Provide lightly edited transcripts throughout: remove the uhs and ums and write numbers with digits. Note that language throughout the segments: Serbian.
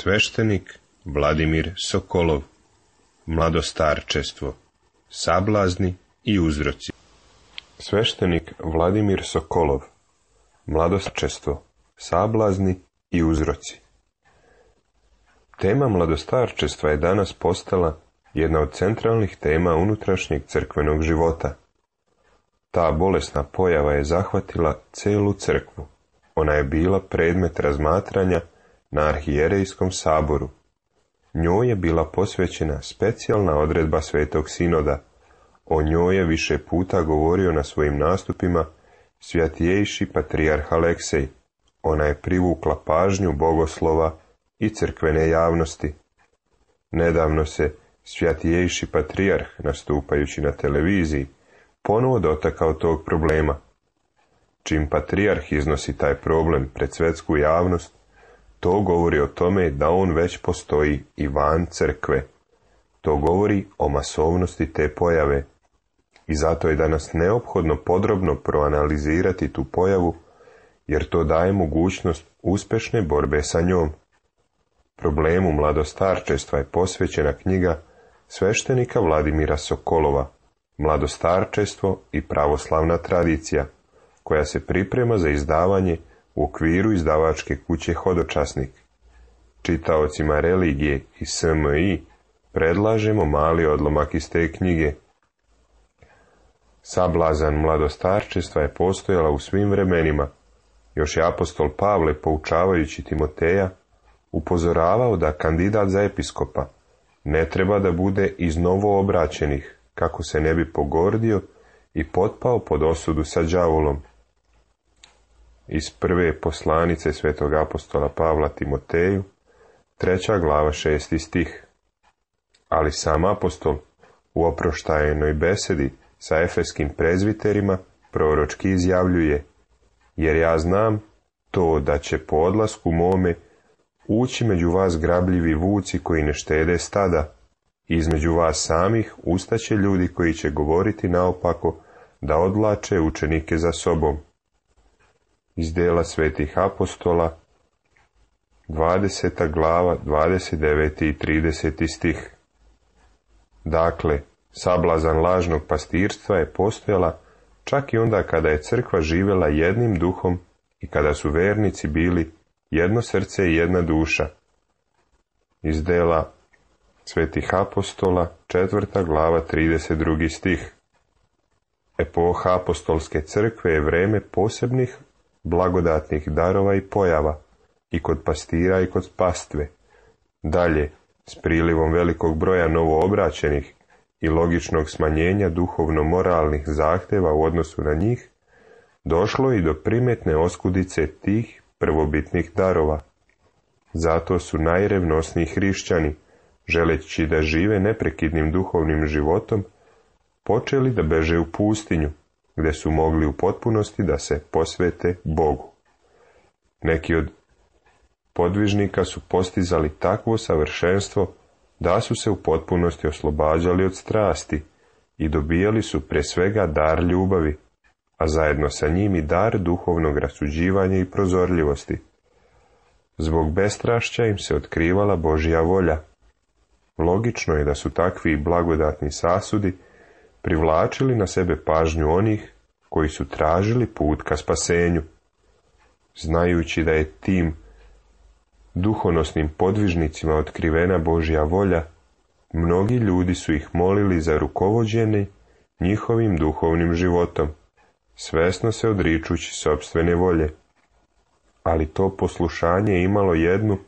Sveštenik Vladimir Sokolov. Mladostarčestvo, sablazni i uzroci. Sveštenik Vladimir Sokolov. Mladostarčestvo, sablazni i uzroci. Tema mladostarčestva je danas postala jedna od centralnih tema unutrašnjeg crkvenog života. Ta bolesna pojava je zahvatila celu crkvu. Ona je bila predmet razmatranja na arhijerejskom saboru. Njoj je bila posvećena specijalna odredba Svetog Sinoda. O njoj je više puta govorio na svojim nastupima svjatijejši patrijarh Aleksej. Ona je privukla pažnju bogoslova i crkvene javnosti. Nedavno se svjatijejši patrijarh, nastupajući na televiziji, ponovo dotakao tog problema. Čim patrijarh iznosi taj problem pred svjetsku javnost, to govori o tome da on već postoji i van crkve. To govori o masovnosti te pojave. I zato je danas neophodno podrobno proanalizirati tu pojavu, jer to daje mogućnost uspješne borbe sa njom. Problemu mladostarčestva je posvećena knjiga sveštenika Vladimira Sokolova, Mladostarčestvo i pravoslavna tradicija, koja se priprema za izdavanje u okviru izdavačke kuće Hodočasnik. Čitaocima religije i SMI predlažemo mali odlomak iz te knjige. Sablazan mladostarčestva je postojala u svim vremenima. Još je apostol Pavle, poučavajući Timoteja, upozoravao da kandidat za episkopa ne treba da bude iz novoobraćenih, kako se ne bi pogordio i potpao pod osudu sa đavolom. Iz prve poslanice svetog apostola Pavla Timoteju, 3. glava 6. stih. Ali sam apostol u oproštajenoj besedi sa efeskim prezviterima proročki izjavljuje: jer ja znam to da će po odlasku mome ući među vas grabljivi vuci koji ne štede stada, i između vas samih ustaće ljudi koji će govoriti naopako da odvlače učenike za sobom. Iz dela svetih apostola, 20. glava, 29. i 30. stih. Dakle, sablazan lažnog pastirstva je postojala čak i onda kada je crkva živjela jednim duhom i kada su vernici bili jedno srce i jedna duša. Iz dela svetih apostola, 4. glava, 32. stih. Epoha apostolske crkve je vreme posebnih blagodatnih darova i pojava, i kod pastira i kod pastve. Dalje, s prilivom velikog broja novoobraćenih i logičnog smanjenja duhovno-moralnih zahtjeva u odnosu na njih, došlo i do primetne oskudice tih prvobitnih darova. Zato su najrevnosniji hrišćani, želeći da žive neprekidnim duhovnim životom, počeli da beže u pustinju, gdje su mogli u potpunosti da se posvete Bogu. Neki od podvižnika su postizali takvo savršenstvo da su se u potpunosti oslobađali od strasti i dobijali su prije svega dar ljubavi, a zajedno sa njim i dar duhovnog rasuđivanja i prozorljivosti. Zbog bestrašća im se otkrivala Božja volja. Logično je da su takvi blagodatni sasudi privlačili na sebe pažnju onih koji su tražili put ka spasenju. Znajući da je tim duhonosnim podvižnicima otkrivena Božja volja, mnogi ljudi su ih molili za rukovođenje njihovim duhovnim životom, svesno se odričući sopstvene volje. Ali to poslušanje je imalo jednu,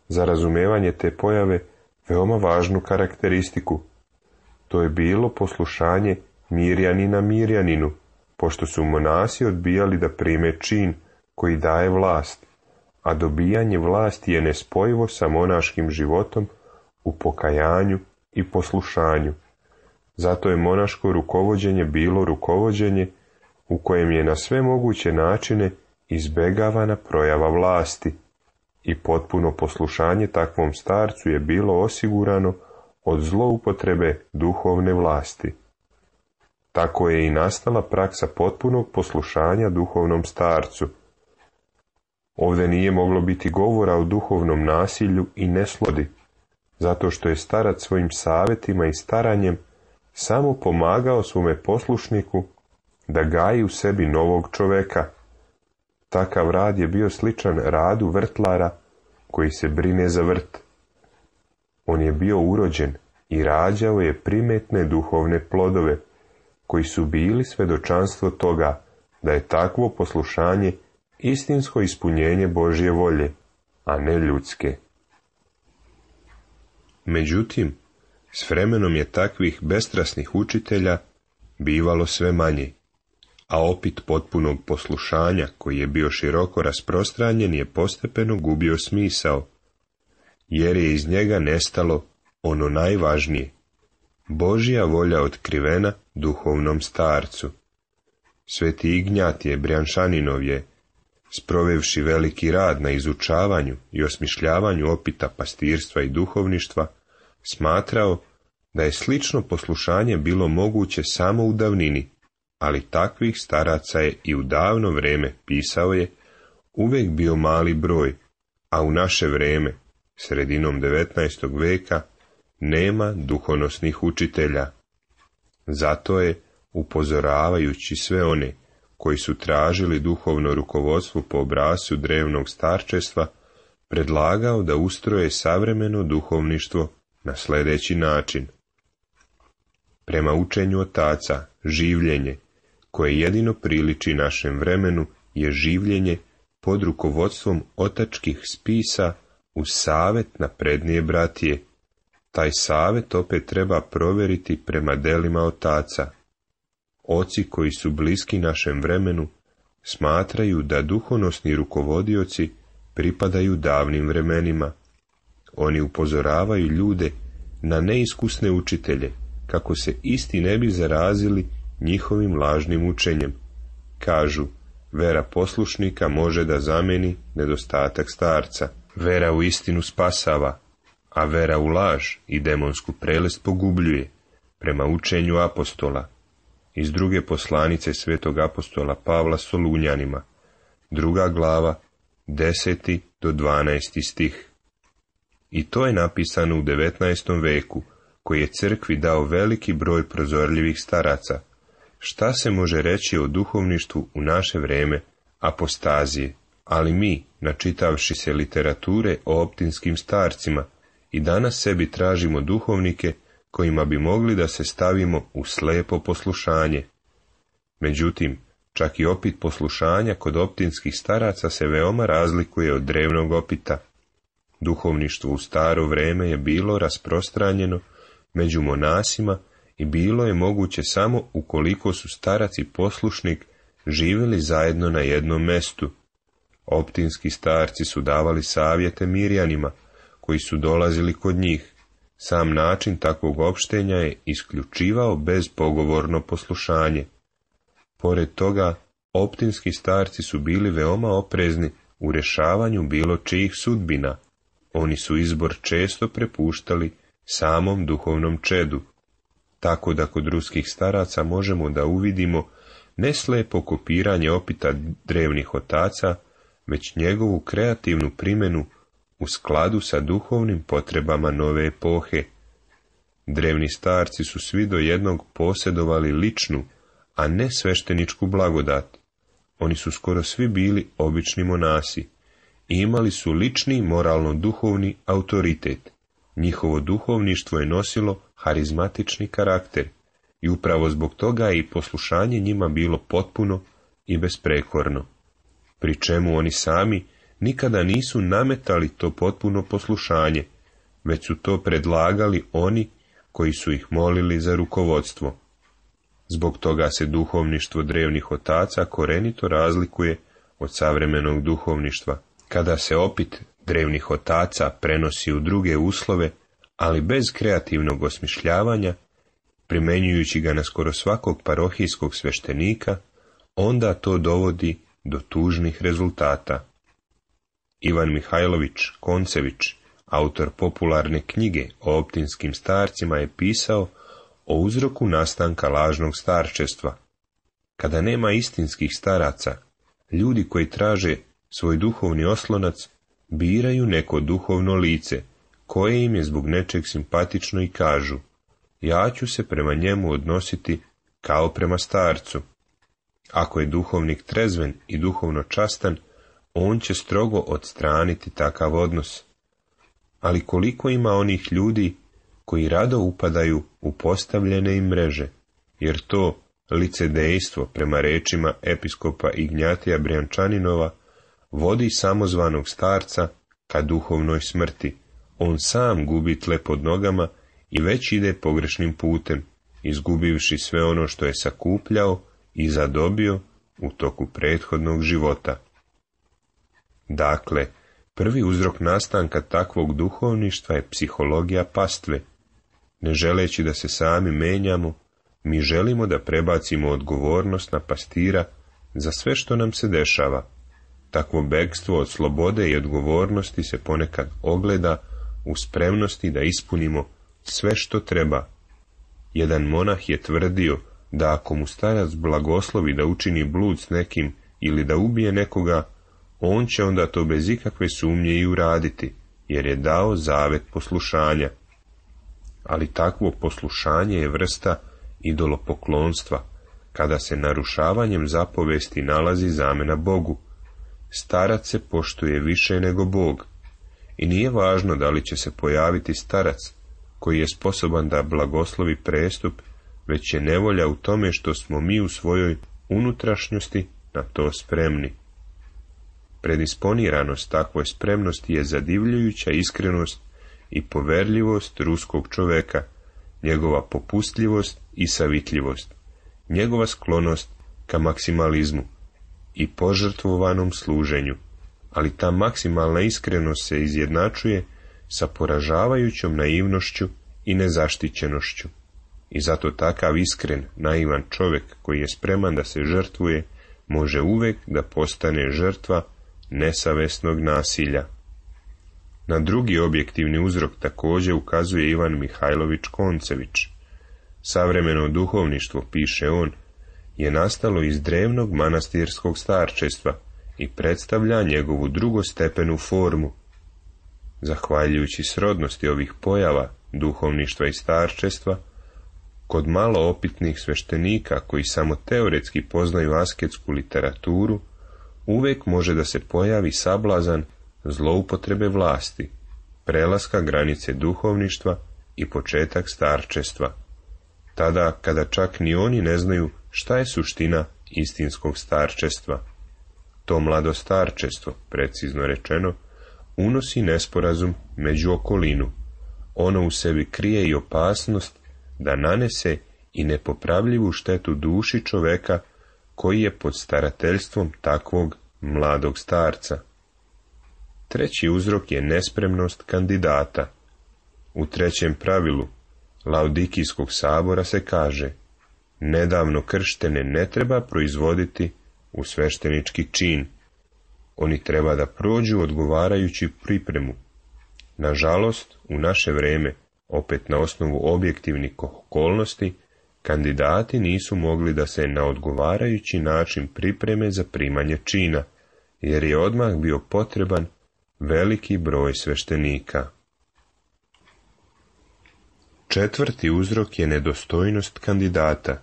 za razumevanje te pojave, veoma važnu karakteristiku. To je bilo poslušanje Mirjanina Mirjaninu, pošto su monasi odbijali da prime čin koji daje vlast, a dobijanje vlasti je nespojivo sa monaškim životom u pokajanju i poslušanju. Zato je monaško rukovođenje bilo rukovođenje u kojem je na sve moguće načine izbegavana projava vlasti, i potpuno poslušanje takvom starcu je bilo osigurano od zloupotrebe duhovne vlasti. Tako je i nastala praksa potpunog poslušanja duhovnom starcu. Ovdje nije moglo biti govora o duhovnom nasilju i neslodi, zato što je starac svojim savjetima i staranjem samo pomagao svome poslušniku da gaji u sebi novog čoveka. Takav rad je bio sličan radu vrtlara koji se brine za vrt. On je bio urođen i rađao je primetne duhovne plodove, koji su bili svjedočanstvo toga da je takvo poslušanje istinsko ispunjenje Božje volje, a ne ljudske. Međutim, s vremenom je takvih bestrasnih učitelja bivalo sve manje, a opit potpunog poslušanja, koji je bio široko rasprostranjen, je postepeno gubio smisao, jer je iz njega nestalo ono najvažnije, Božja volja otkrivena duhovnom starcu. Sveti Ignjatije Brjanšaninov je, sprovevši veliki rad na izučavanju i osmišljavanju opita pastirstva i duhovništva, smatrao da je slično poslušanje bilo moguće samo u davnini, ali takvih staraca je i u davno vrijeme, pisao je, uvijek bio mali broj, a u naše vrijeme, sredinom 19. veka, nema duhonosnih učitelja. Zato je, upozoravajući sve one koji su tražili duhovno rukovodstvo po obrascu drevnog starčestva, predlagao da ustroje savremeno duhovništvo na sljedeći način. Prema učenju otaca, življenje, koje jedino priliči našem vremenu, je življenje pod rukovodstvom otačkih spisa uz savjet naprednije bratije. Taj savjet opet treba provjeriti prema delima otaca. Oci koji su bliski našem vremenu smatraju da duhonosni rukovodioci pripadaju davnim vremenima. Oni upozoravaju ljude na neiskusne učitelje, kako se isti ne bi zarazili njihovim lažnim učenjem. Kažu, vera poslušnika može da zameni nedostatak starca. Vera u istinu spasava, a vera u laž i demonsku prelest pogubljuje, prema učenju apostola. Iz druge poslanice svetog apostola Pavla Solunjanima, 2. glava, 10. do 12. stih. I to je napisano u 19. veku, koji je crkvi dao veliki broj prozorljivih staraca. Šta se može reći o duhovništvu u naše vrijeme apostazije? Ali mi, načitavši se literature o optinskim starcima, i danas sebi tražimo duhovnike kojima bi mogli da se stavimo u slepo poslušanje. Međutim, čak i opit poslušanja kod optinskih staraca se veoma razlikuje od drevnog opita. Duhovništvo u staro vrijeme je bilo rasprostranjeno među monasima i bilo je moguće samo ukoliko su starac i poslušnik živjeli zajedno na jednom mestu. Optinski starci su davali savjete Mirjanima, koji su dolazili kod njih. Sam način takvog opštenja je isključivao bezpogovorno poslušanje. Pored toga, optinski starci su bili veoma oprezni u rješavanju bilo čijih sudbina. Oni su izbor često prepuštali samom duhovnom čedu, tako da kod ruskih staraca možemo da uvidimo ne slepo kopiranje opita drevnih otaca, već njegovu kreativnu primjenu u skladu sa duhovnim potrebama nove epohe. Drevni starci su svi do jednog posjedovali ličnu, a ne svešteničku blagodat. Oni su skoro svi bili obični monasi i imali su lični moralno-duhovni autoritet. Njihovo duhovništvo je nosilo harizmatični karakter i upravo zbog toga je i poslušanje njima bilo potpuno i besprekorno, pri čemu oni sami nikada nisu nametali to potpuno poslušanje, već su to predlagali oni koji su ih molili za rukovodstvo. Zbog toga se duhovništvo drevnih otaca korenito razlikuje od savremenog duhovništva. Kada se opit drevnih otaca prenosi u druge uslove, ali bez kreativnog osmišljavanja, primenjujući ga na skoro svakog parohijskog sveštenika, onda to dovodi do tužnih rezultata. Ivan Mihajlović Koncević, autor popularne knjige o optinskim starcima, je pisao o uzroku nastanka lažnog starčestva. Kada nema istinskih staraca, ljudi koji traže svoj duhovni oslonac, biraju neko duhovno lice, koje im je zbog nečeg simpatično i kažu: ja ću se prema njemu odnositi kao prema starcu. Ako je duhovnik trezven i duhovno častan, on će strogo odstraniti takav odnos. Ali koliko ima onih ljudi koji rado upadaju u postavljene im mreže, jer to licedejstvo, prema rečima episkopa Ignjatija Brijančaninova, vodi samozvanog starca ka duhovnoj smrti. On sam gubi tle pod nogama i već ide pogrešnim putem, izgubivši sve ono što je sakupljao i zadobio u toku prethodnog života. Dakle, prvi uzrok nastanka takvog duhovništva je psihologija pastve. Ne želeći da se sami menjamo, mi želimo da prebacimo odgovornost na pastira za sve što nam se dešava. Takvo bekstvo od slobode i odgovornosti se ponekad ogleda u spremnosti da ispunimo sve što treba. Jedan monah je tvrdio da ako mu starac blagoslovi da učini blud s nekim ili da ubije nekoga, on će onda to bez ikakve sumnje i uraditi, jer je dao zavet poslušanja. Ali takvo poslušanje je vrsta idolopoklonstva, kada se narušavanjem zapovesti nalazi zamena Bogu. Starac se poštuje više nego Bog, i nije važno da li će se pojaviti starac koji je sposoban da blagoslovi prestup, već je nevolja u tome što smo mi u svojoj unutrašnjosti na to spremni. Predisponiranost takvoj spremnosti je zadivljujuća iskrenost i poverljivost ruskog čoveka, njegova popustljivost i savitljivost, njegova sklonost ka maksimalizmu i požrtvovanom služenju, ali ta maksimalna iskrenost se izjednačuje sa poražavajućom naivnošću i nezaštićenošću. I zato takav iskren, naivan čovjek koji je spreman da se žrtvuje, može uvijek da postane žrtva nesavesnog nasilja. Na drugi objektivni uzrok također ukazuje Ivan Mihajlović Koncević. Savremeno duhovništvo, piše on, je nastalo iz drevnog manastirskog starčestva i predstavlja njegovu drugostepenu formu. Zahvaljujući srodnosti ovih pojava, duhovništva i starčestva, kod malo opitnih sveštenika koji samo teoretski poznaju asketsku literaturu, uvijek može da se pojavi sablazan zloupotrebe vlasti, prelaska granice duhovništva i početak starčestva. Tada kada čak ni oni ne znaju šta je suština istinskog starčestva. To mlado starčestvo, precizno rečeno, unosi nesporazum među okolinu. Ono u sebi krije i opasnost da nanese i nepopravljivu štetu duši čoveka koji je pod starateljstvom takvog mladog starca. Treći uzrok je nespremnost kandidata. U trećem pravilu Laodikijskog sabora se kaže: nedavno krštene ne treba proizvoditi u sveštenički čin. Oni treba da prođu odgovarajući pripremu. Nažalost, u naše vreme, opet na osnovu objektivnih okolnosti, kandidati nisu mogli da se na odgovarajući način pripreme za primanje čina, jer je odmah bio potreban veliki broj sveštenika. Četvrti uzrok je nedostojnost kandidata.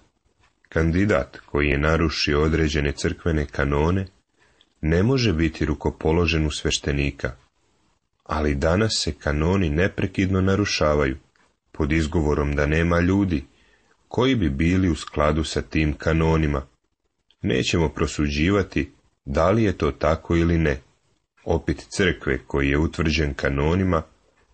Kandidat koji je narušio određene crkvene kanone ne može biti rukopoložen u sveštenika, ali danas se kanoni neprekidno narušavaju pod izgovorom da nema ljudi koji bi bili u skladu sa tim kanonima. Nećemo prosuđivati da li je to tako ili ne. Opit crkve koji je utvrđen kanonima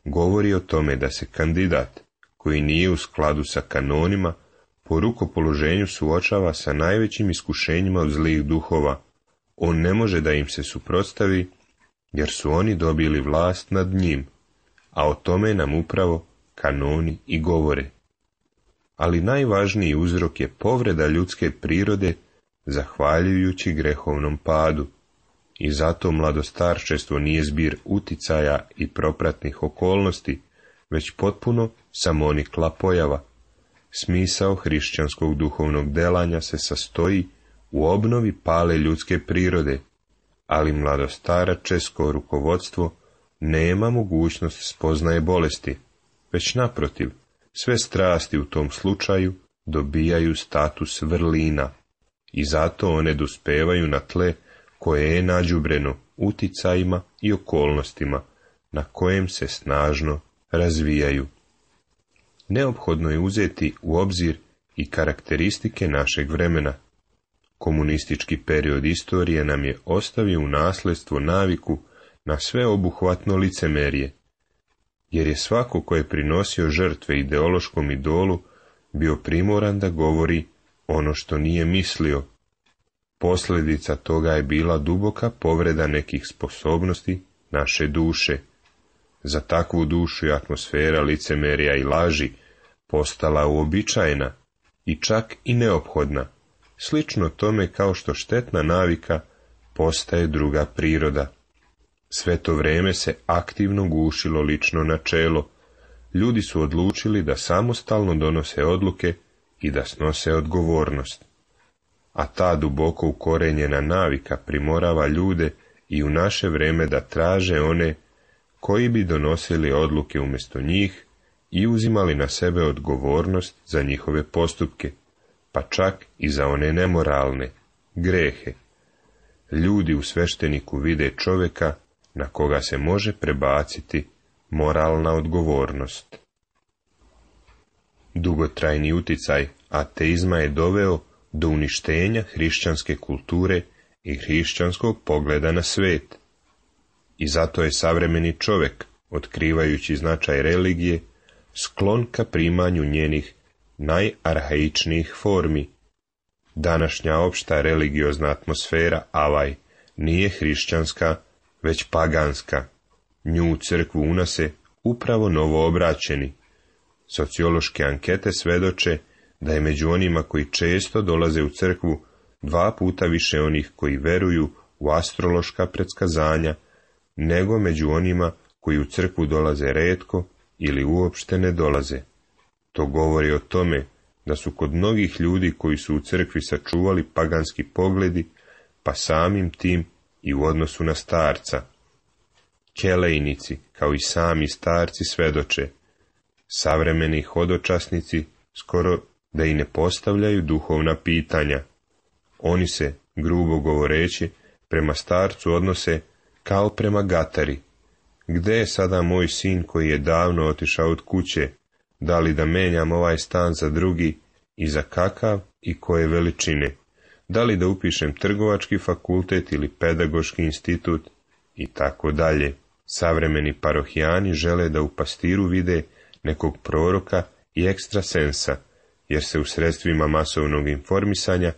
govori o tome da se kandidat koji nije u skladu sa kanonima po rukopoloženju suočava sa najvećim iskušenjima od zlih duhova. On ne može da im se suprotstavi, jer su oni dobili vlast nad njim, a o tome nam upravo kanoni i govore. Ali najvažniji uzrok je povreda ljudske prirode zahvaljujući grehovnom padu. I zato mladostarčestvo nije zbir uticaja i propratnih okolnosti, već potpuno samonikla pojava. Smisao hrišćanskog duhovnog delanja se sastoji u obnovi pale ljudske prirode, ali mladostaračesko rukovodstvo nema mogućnost spoznaje bolesti, već naprotiv, sve strasti u tom slučaju dobijaju status vrlina i zato one dospevaju na tle koje je nađubreno uticajima i okolnostima na kojem se snažno razvijaju. Neophodno je uzeti u obzir i karakteristike našeg vremena. Komunistički period istorije nam je ostavio u nasljedstvo naviku na sveobuhvatno licemerje, jer je svako ko je prinosio žrtve ideološkom idolu bio primoran da govori ono što nije mislio. Posljedica toga je bila duboka povreda nekih sposobnosti naše duše. Za takvu dušu je atmosfera licemerja i laži postala uobičajena i čak i neophodna, slično tome kao što štetna navika postaje druga priroda. Sve to vrijeme se aktivno gušilo lično načelo. Ljudi su odlučili da samostalno donose odluke i da snose odgovornost. A ta duboko ukorenjena navika primorava ljude i u naše vrijeme da traže one koji bi donosili odluke umjesto njih i uzimali na sebe odgovornost za njihove postupke, pa čak i za one nemoralne, grehe. Ljudi u svešteniku vide čovjeka na koga se može prebaciti moralna odgovornost. Dugotrajni uticaj ateizma je doveo do uništenja hrišćanske kulture i hrišćanskog pogleda na svijet. I zato je savremeni čovjek, otkrivajući značaj religije, sklon ka primanju njenih najarhaičnijih formi. Današnja opšta religiozna atmosfera, avaj, nije hrišćanska, već paganska. Nju u crkvu unose upravo novoobraćeni. Sociološke ankete svedoče da je među onima koji često dolaze u crkvu 2 puta više onih koji veruju u astrološka predskazanja, nego među onima koji u crkvu dolaze retko ili uopšte ne dolaze. To govori o tome da su kod mnogih ljudi koji su u crkvi sačuvali paganski pogledi, pa samim tim i u odnosu na starca. Kelejnici, kao i sami starci, svedoče. Savremeni hodočasnici skoro da i ne postavljaju duhovna pitanja. Oni se, grubo govoreći, prema starcu odnose kao prema gatari. Gde je sada moj sin koji je davno otišao od kuće? Da li da menjam ovaj stan za drugi i za kakav i koje veličine? Da li da upišem trgovački fakultet ili pedagoški institut? I tako dalje. Savremeni parohijani žele da u pastiru vide nekog proroka i ekstrasensa, jer se u sredstvima masovnog informisanja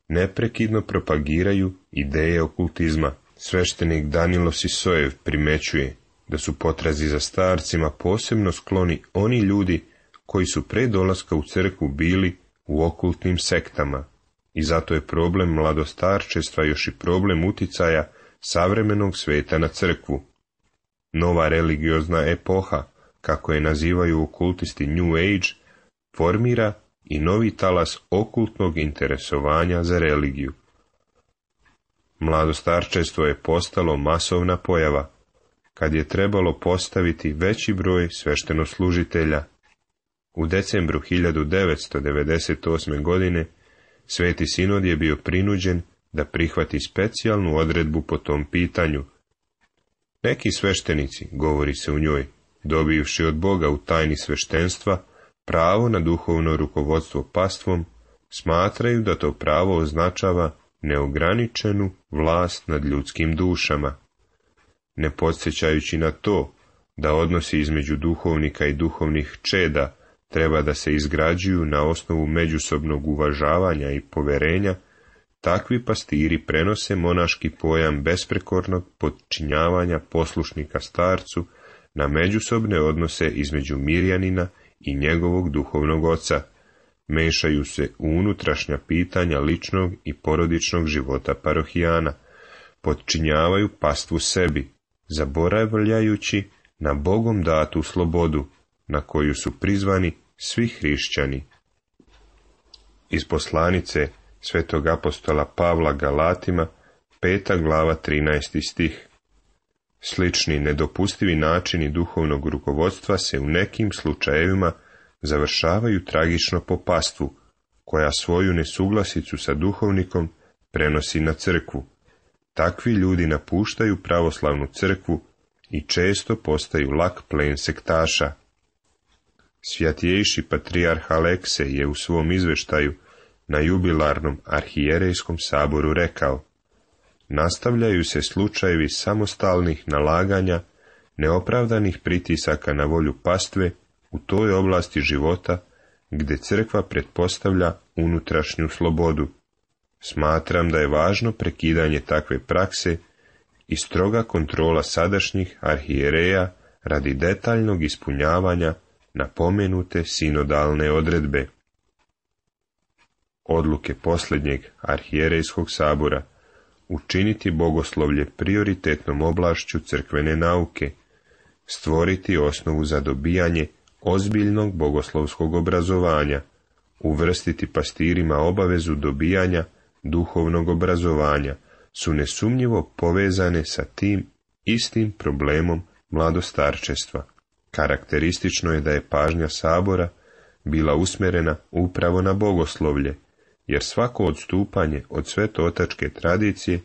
neprekidno propagiraju ideje okultizma. Sveštenik Danilo Sisojev primećuje da su potrazi za starcima posebno skloni oni ljudi koji su pre dolaska u crkvu bili u okultnim sektama. I zato je problem mladostarčestva još i problem uticaja savremenog sveta na crkvu. Nova religiozna epoha, kako je nazivaju okultisti New Age, formira i novi talas okultnog interesovanja za religiju. Mladostarčestvo je postalo masovna pojava, kad je trebalo postaviti veći broj sveštenoslužitelja. U decembru 1998. godine Sveti sinod je bio prinuđen da prihvati specijalnu odredbu po tom pitanju. Neki sveštenici, govori se u njoj, dobivši od Boga u tajni sveštenstva pravo na duhovno rukovodstvo pastvom, smatraju da to pravo označava neograničenu vlast nad ljudskim dušama. Ne podsjećajući na to da odnosi između duhovnika i duhovnih čeda treba da se izgrađuju na osnovu međusobnog uvažavanja i poverenja, takvi pastiri prenose monaški pojam besprekornog podčinjavanja poslušnika starcu na međusobne odnose između Mirjanina i njegovog duhovnog oca, mešaju se u unutrašnja pitanja ličnog i porodičnog života parohijana, podčinjavaju pastvu sebi, zaboravljajući na Bogom datu slobodu, na koju su prizvani svi hrišćani. Iz poslanice svetog apostola Pavla Galatima 5. glava 13. stih. Slični nedopustivi načini duhovnog rukovodstva se u nekim slučajevima završavaju tragično po pastvu, koja svoju nesuglasicu sa duhovnikom prenosi na crkvu. Takvi ljudi napuštaju pravoslavnu crkvu i često postaju lak plen sektaša. Svjatjejši patrijarh Aleksej je u svom izveštaju na jubilarnom arhijerejskom saboru rekao: nastavljaju se slučajevi samostalnih nalaganja, neopravdanih pritisaka na volju pastve u toj oblasti života gdje crkva pretpostavlja unutrašnju slobodu. Smatram da je važno prekidanje takve prakse i stroga kontrola sadašnjih arhijereja radi detaljnog ispunjavanja napomenute sinodalne odredbe. Odluke posljednjeg arhijerejskog sabora učiniti bogoslovlje prioritetnom oblašću crkvene nauke, stvoriti osnovu za dobijanje ozbiljnog bogoslovskog obrazovanja, uvrstiti pastirima obavezu dobijanja duhovnog obrazovanja, su nesumnjivo povezane sa tim istim problemom mladostarčestva. Karakteristično je da je pažnja sabora bila usmjerena upravo na bogoslovlje, jer svako odstupanje od svetootačke tradicije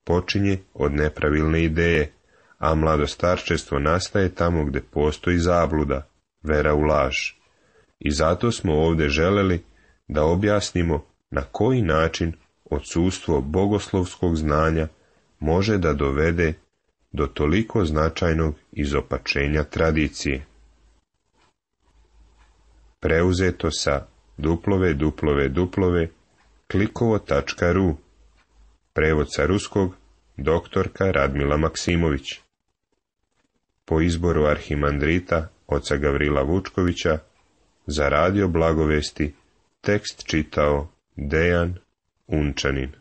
počinje od nepravilne ideje, a mladostarčestvo nastaje tamo gdje postoji zabluda, vera u laž. I zato smo ovdje želeli da objasnimo na koji način odsustvo bogoslovskog znanja može da dovede do toliko značajnog izopačenja tradicije. Preuzeto sa www.klikovo.ru. Prevod sa ruskog doktorka Radmila Maksimović. Po izboru arhimandrita oca Gavrila Vučkovića, za Radio Blagovesti tekst čitao Dejan Unčanin.